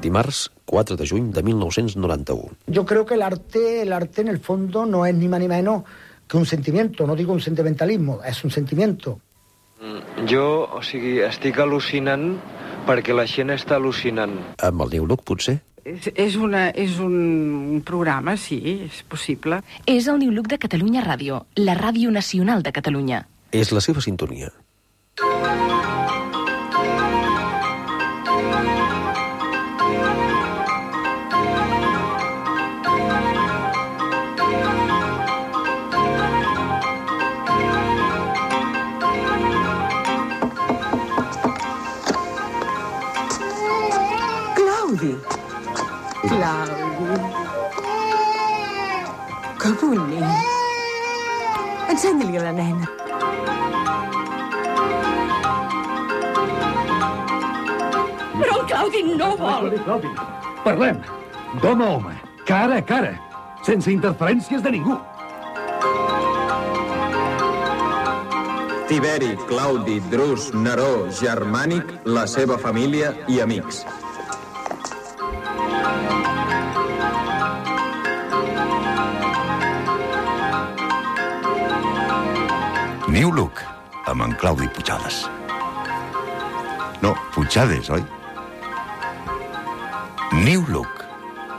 dimarts 4 de juny de 1991. Yo creo que el arte en el fondo no es ni más ni menos que un sentimiento, no digo un sentimentalismo, és un sentimiento. Jo, estic al·lucinant perquè la gent està al·lucinant. Amb el New Look, potser? És un programa, sí, és possible. És el New Look de Catalunya Ràdio, la ràdio nacional de Catalunya. És la seva sintonia. Claudi. Que bonic. Ensenya-li a la nena. Però el Claudi no vol. Claudi, parlem. D'home a home, cara a cara, sense interferències de ningú. Tiberi, Claudi, Drus, Neró, Germànic, la seva família i amics. New Look, amb en Claudi Puigades. No, Puigades, oi? New Look,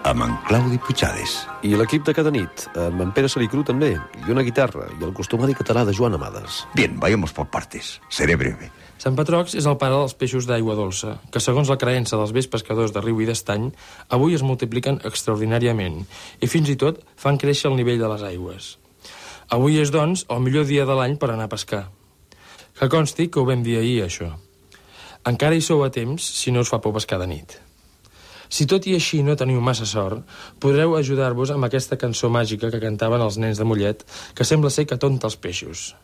amb en Claudi Puigades. I l'equip de cada nit, amb en Pere Salicru també, i una guitarra, i el costumari català de Joan Amades. Bien, vayamos por partes. Seré breve. Sant Patrocs és el pare dels peixos d'aigua dolça, que segons la creença dels vells pescadors de riu i d'estany, avui es multipliquen extraordinàriament i fins i tot fan créixer el nivell de les aigües. Avui és, doncs, el millor dia de l'any per anar a pescar. Que consti que ho vam dir ahir, això. Encara hi sou a temps si no us fa por pescar de nit. Si tot i així no teniu massa sort, podreu ajudar-vos amb aquesta cançó màgica que cantaven els nens de Mollet, que sembla ser que tonta els peixos.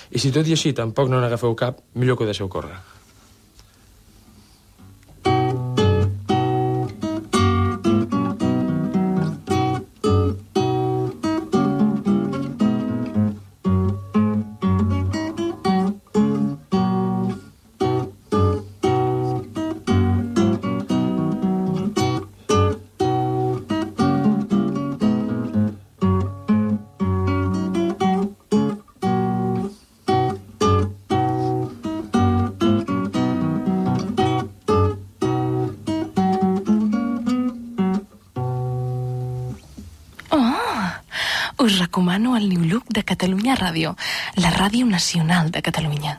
I si tot i així tampoc no n'agafeu cap, millor que ho deixeu córrer. Us recomano el New Look de Catalunya Ràdio, la ràdio nacional de Catalunya.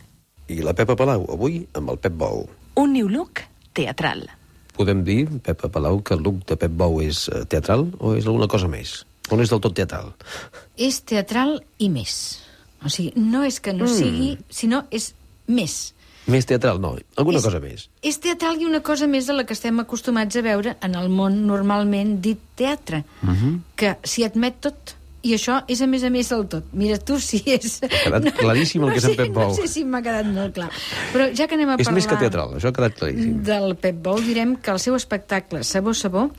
I la Pepa Palau, avui amb el Pep Bou. Un New Look teatral. Podem dir, Pepa Palau, que el look de Pep Bou és teatral o és alguna cosa més? O no és del tot teatral? És teatral i més. O sigui, no és que no sigui, sinó és més. Més teatral, no. Alguna cosa més. És teatral i una cosa més de la que estem acostumats a veure en el món normalment dit teatre, que s'hi admet tot. I això és a més del tot. Mira, tu si és... Ha quedat claríssim el que és en Pep Bou. No sé si m'ha quedat molt clar. Però ja que anem a parlar... És més que teatral, això ha quedat claríssim. Del Pep Bou, direm que el seu espectacle Sabor, Sabor,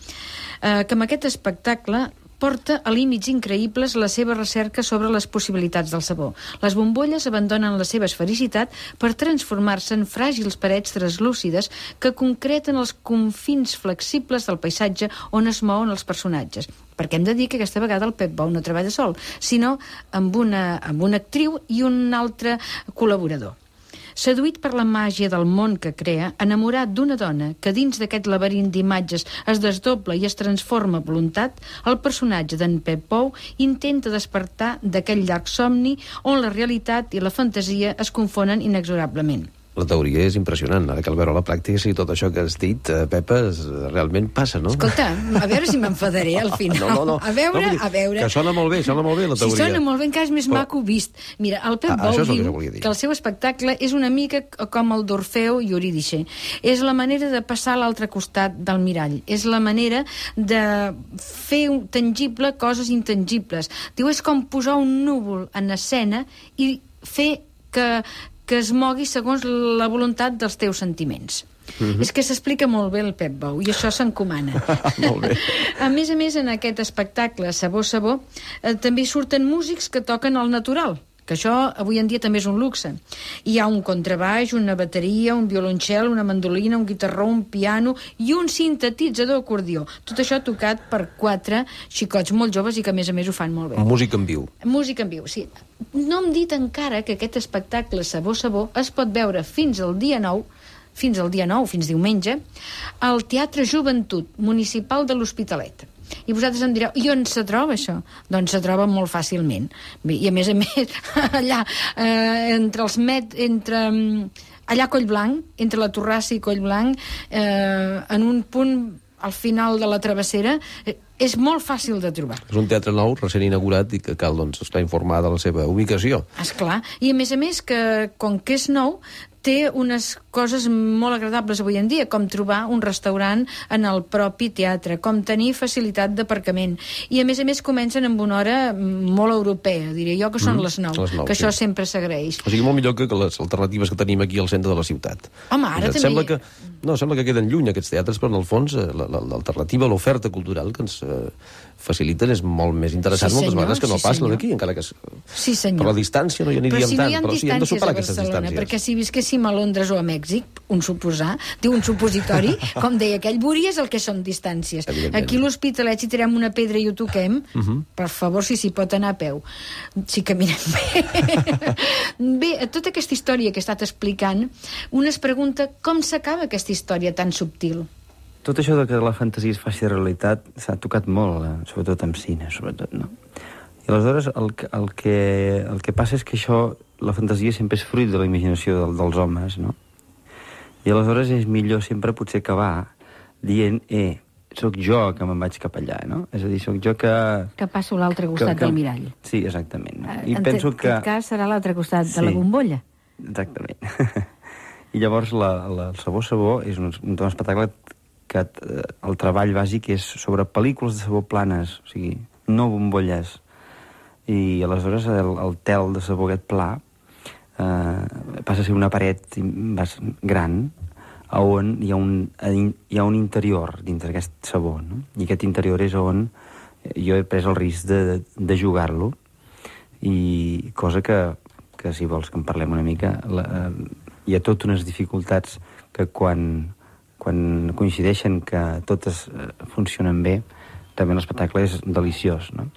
que amb aquest espectacle porta a límits increïbles la seva recerca sobre les possibilitats del sabor. Les bombolles abandonen la seva esfericitat per transformar-se en fràgils parets translúcides que concreten els confins flexibles del paisatge on es mouen els personatges. Perquè hem de dir que aquesta vegada el Pep Bou no treballa sol, sinó amb una actriu i un altre col·laborador. Seduït per la màgia del món que crea, enamorat d'una dona que dins d'aquest laberint d'imatges es desdobla i es transforma a voluntat, el personatge d'en Pep Bou intenta despertar d'aquell llarg somni on la realitat i la fantasia es confonen inexorablement. La teoria és impressionant. Ara cal veure la pràctica si tot això que has dit, Pepa, realment passa, no? Escolta, a veure si m'enfadaré al final. No. A veure... Que sona molt bé la teoria. Si sona molt bé, encara és més maco vist. Mira, el Pep Bou diu que el seu espectacle és una mica com el d'Orfeu i Eurídice. És la manera de passar a l'altre costat del mirall. És la manera de fer tangible coses intangibles. Diu, és com posar un núvol en escena i fer que es mogui segons la voluntat dels teus sentiments. És que s'explica molt bé el Pep Bou i això s'encomana. Molt bé. A més, en aquest espectacle Sabor, Sabor, també surten músics que toquen al natural, que això avui en dia també és un luxe. Hi ha un contrabaix, una bateria, un violoncel, una mandolina, un guitarró, un piano i un sintetitzador acordió. Tot això tocat per 4 xicots molt joves i que a més ho fan molt bé. Música en viu. Música en viu, sí. No hem dit encara que aquest espectacle Sabor es pot veure fins diumenge, al Teatre Joventut Municipal de l'Hospitalet. I vosaltres em direu, i on se troba això? Doncs se troba molt fàcilment. I a més, allà, allà a Collblanc, entre la Torrassa i Collblanc, en un punt al final de la travessera, és molt fàcil de trobar. És un teatre nou, recent inaugurat, i que cal estar informat de la seva ubicació. Esclar. I a més, que com que és nou, té unes coses molt agradables avui en dia, com trobar un restaurant en el propi teatre, com tenir facilitat d'aparcament. I a més comencen amb una hora molt europea, diré jo, que són les 9, que això sempre s'agraeix. O sigui, molt millor que les alternatives que tenim aquí al centre de la ciutat. Home, ara també... Sembla que queden lluny aquests teatres, però en el fons l'alternativa, l'oferta cultural que ens faciliten és molt més interessant moltes vegades que no pas la d'aquí, encara que per la distància no hi aniríem tant, però sí, hem de superar aquestes distàncies. Perquè si visquéssim a Londres o a Mèxic, un supositori, com deia aquell, veuries el que són distàncies. Aquí a l'Hospitalet, si tirem una pedra i ho toquem, per favor, si s'hi pot anar a peu. Si caminem bé. Bé, tota aquesta història que he estat explicant, un es pregunta com s'acaba aquesta història tan subtil. Tot això de que la fantasia es faci realitat s'ha tocat molt, sobretot amb cine, sobretot, no? I aleshores el que passa és que això, la fantasia sempre és fruit de la imaginació dels homes, no? I aleshores és millor sempre potser acabar dient, sóc jo que me'n vaig cap allà, no? És a dir, sóc jo que... Que passo a l'altre costat del mirall. Sí, exactament. I penso que... En aquest cas serà l'altre costat de la bombolla. Exactament. I llavors el Sabor és un espectacle que el treball bàsic és sobre pel·lícules de sabó planes, o sigui, no bombolles. I aleshores el tel de sabó aquest pla passa a ser una paret gran on hi ha un interior dintre d'aquest sabó, no? I aquest interior és on jo he pres el risc de jugar-lo, i cosa que si vols que en parlem una mica, hi ha totes unes dificultats que quan coincideixen que totes funcionen bé, també l'espectacle és deliciós, no?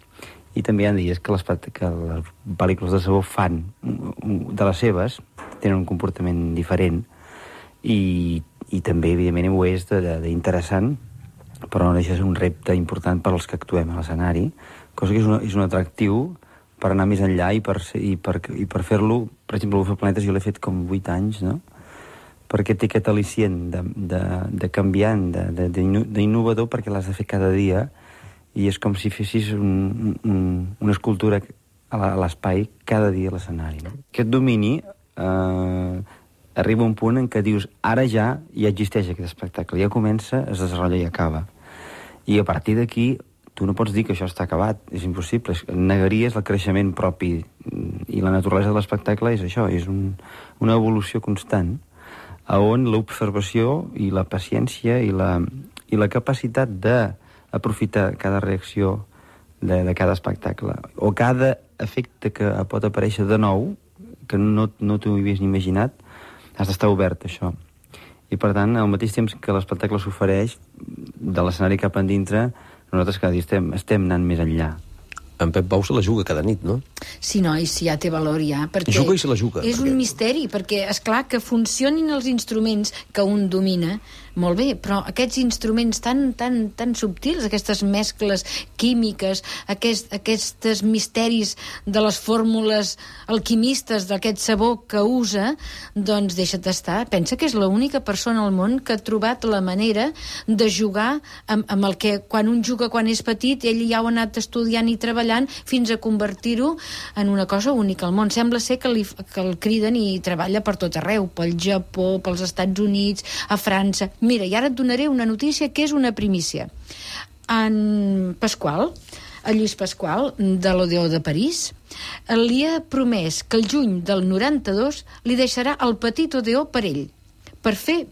I també hi ha dies que les pel·lícules de sabó fan de les seves, tenen un comportament diferent, i també, evidentment, ho és d'interessant, però no deixa de ser un repte important per als que actuem a l'escenari, cosa que és un atractiu per anar més enllà i per fer-lo. Per exemple, el Planetes jo l'he fet com 8 anys, no? Perquè té aquest al·licient de canviant, d'innovador, perquè l'has de fer cada dia, i és com si fessis una escultura a l'espai cada dia a l'escenari. No? Aquest domini arriba a un punt en què dius, ara ja existeix aquest espectacle, ja comença, es desenvolupa i acaba. I a partir d'aquí, tu no pots dir que això està acabat, és impossible, negaries el creixement propi, i la naturalesa de l'espectacle és això, és una evolució constant, on l'observació i la paciència i la capacitat d'aprofitar cada reacció de cada espectacle, o cada efecte que pot aparèixer de nou, que no t'ho havies ni imaginat, has d'estar obert a això. I per tant, al mateix temps que l'espectacle s'ofereix, de l'escenari cap endintre, nosaltres cada dia estem anant més enllà. En Pep Bou se la juga cada nit, no? Sí, no, i si ja té valor, ja. Perquè juga i se la juga. És un misteri, perquè, esclar, que funcionin els instruments que un domina, molt bé, però aquests instruments tan subtils, aquestes mescles químiques, aquests misteris de les fórmules alquimistes d'aquest sabó que usa, doncs deixa't estar. Pensa que és l'única persona al món que ha trobat la manera de jugar amb el que, quan un juga quan és petit, ell ja ho ha anat estudiant i treballant fins a convertir-ho en una cosa única al món. Sembla ser que el criden i treballa per tot arreu, pel Japó, pels Estats Units, a França. Mira, i ara et donaré una notícia que és una primícia. En Pasqual, el Lluís Pasqual, de l'Odeó de París, li ha promès que el juny del 92 li deixarà el petit Odeó per ell, perquè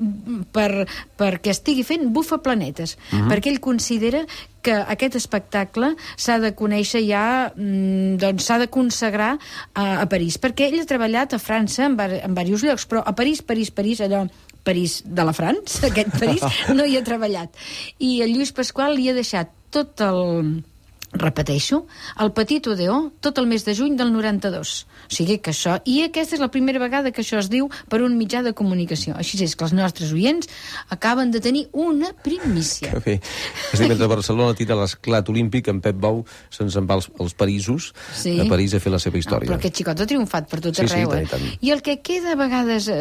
estigui fent Bufaplanetes, perquè ell considera que aquest espectacle s'ha de conèixer ja, doncs s'ha de consagrar a París, perquè ell ha treballat a França en diversos llocs, però a París, allò París de la France, aquest París, no hi ha treballat. I el Lluís Pasqual li ha deixat tot el... repeteixo, el Petit Odeó tot el mes de juny del 92. O sigui que això... I aquesta és la primera vegada que això es diu per un mitjà de comunicació. Així és que els nostres oients acaben de tenir una primícia. Que bé. És dir, mentre Barcelona tira l'esclat olímpic, en Pep Bou se'ns en va als Parisos, a París a fer la seva història. Però aquest xicot ha triomfat per tot arreu. I el que queda a vegades...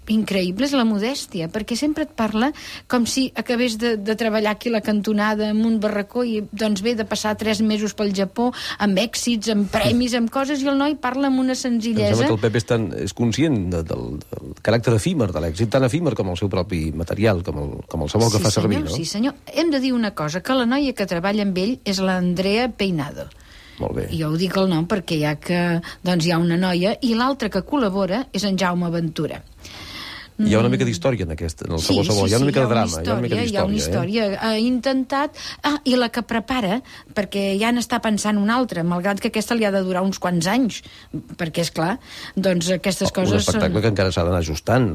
increïble és la modèstia, perquè sempre et parla com si acabés de treballar aquí a la cantonada en un barracó i doncs ve de passar 3 mesos pel Japó amb èxits, amb premis, amb coses, i el noi parla amb una senzillesa. Em sembla que el Pep és conscient del caràcter efímer de l'èxit, tan efímer com el seu propi material, com el sabor que fa servir, no? Sí, senyor. Hem de dir una cosa, que la noia que treballa amb ell és l'Andrea Peinado. Molt bé. I jo ho dic el nom perquè hi ha una noia, i l'altra que col·labora és en Jaume Ventura. Hi ha una mica d'història en el sabor. Hi ha una mica de drama. Hi ha una història. Ha intentat... i la que prepara, perquè ja n'està pensant una altra, malgrat que aquesta li ha de durar uns quants anys, perquè, és clar, doncs aquestes coses... Un espectacle que encara s'ha d'anar ajustant.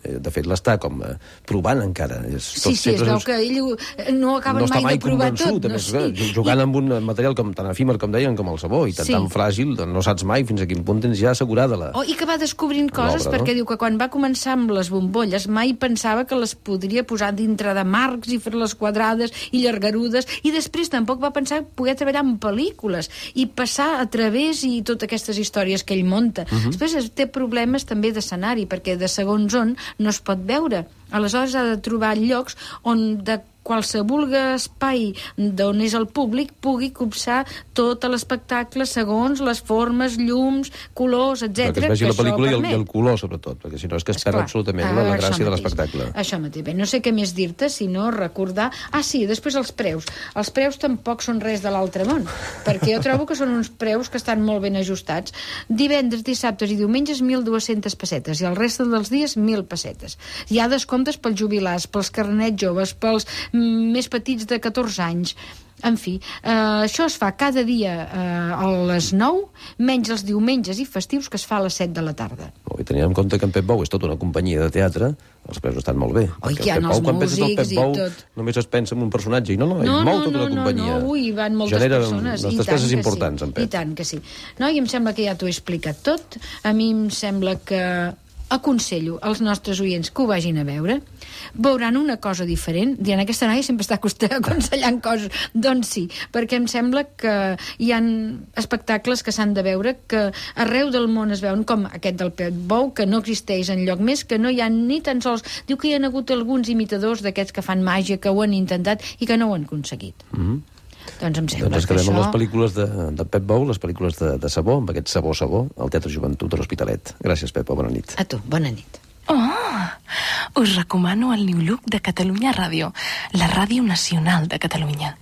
De fet, l'està com provant encara. Sí, es veu que ell no acaben mai de provar tot. Jugant amb un material tan efímer, com deien, com el sabó, i tan fràgil, no saps mai fins a quin punt tens ja assegurada la... I que va descobrint coses, perquè diu que quan va començar amb les bombolles mai pensava que les podria posar dintre de marcs i fer-les quadrades i llargarudes, i després tampoc va pensar poder treballar en pel·lícules i passar a través i totes aquestes històries que ell monta. Després té problemes també d'escenari, perquè de segons on no es pot veure. Aleshores ha de trobar llocs on de qualsevol espai d'on és el públic pugui copsar tot l'espectacle segons les formes, llums, colors, etc. Que es vegi la pel·lícula i el color, sobretot, perquè si no és que es perd absolutament la gràcia de l'espectacle. Això mateix. Bé, no sé què més dir-te, sinó recordar... Sí, després els preus. Els preus tampoc són res de l'altre món, perquè jo trobo que són uns preus que estan molt ben ajustats. Divendres, dissabtes i diumenges 1.200 pessetes i el reste dels dies 1.000 pessetes. Hi ha descomptes pels jubilats, pels carnets joves, pels més petits de 14 anys. En fi, això es fa cada dia a les 9, menys els diumenges i festius, que es fa a les 7 de la tarda. I tenint en compte que en Pep Bou és tota una companyia de teatre, els preus estan molt bé. Hi ha els músics i tot. Només es pensa en un personatge, i no, hi ha molt tota una companyia. No, hi van moltes persones. Genera unes despeses importants, en Pep. I tant que sí. I em sembla que ja t'ho he explicat tot. A mi em sembla que aconsello als nostres oients que ho vagin a veure, veuran una cosa diferent. Diran, aquesta noia sempre està aconsellant coses. Doncs sí, perquè em sembla que hi ha espectacles que s'han de veure, que arreu del món es veuen, com aquest del Pep Bou, que no existeix enlloc més, que no hi ha ni tan sols... Diu que hi ha hagut alguns imitadors d'aquests que fan màgia, que ho han intentat i que no ho han aconseguit. Doncs em sembla ens quedem amb les pel·lícules de Pep Bou, les pel·lícules de sabó, amb aquest sabó al Teatre Joventut de l'Hospitalet. Gràcies, Pepa, bona nit. A tu, bona nit. Us recomano el New Look de Catalunya Ràdio, la ràdio nacional de Catalunya.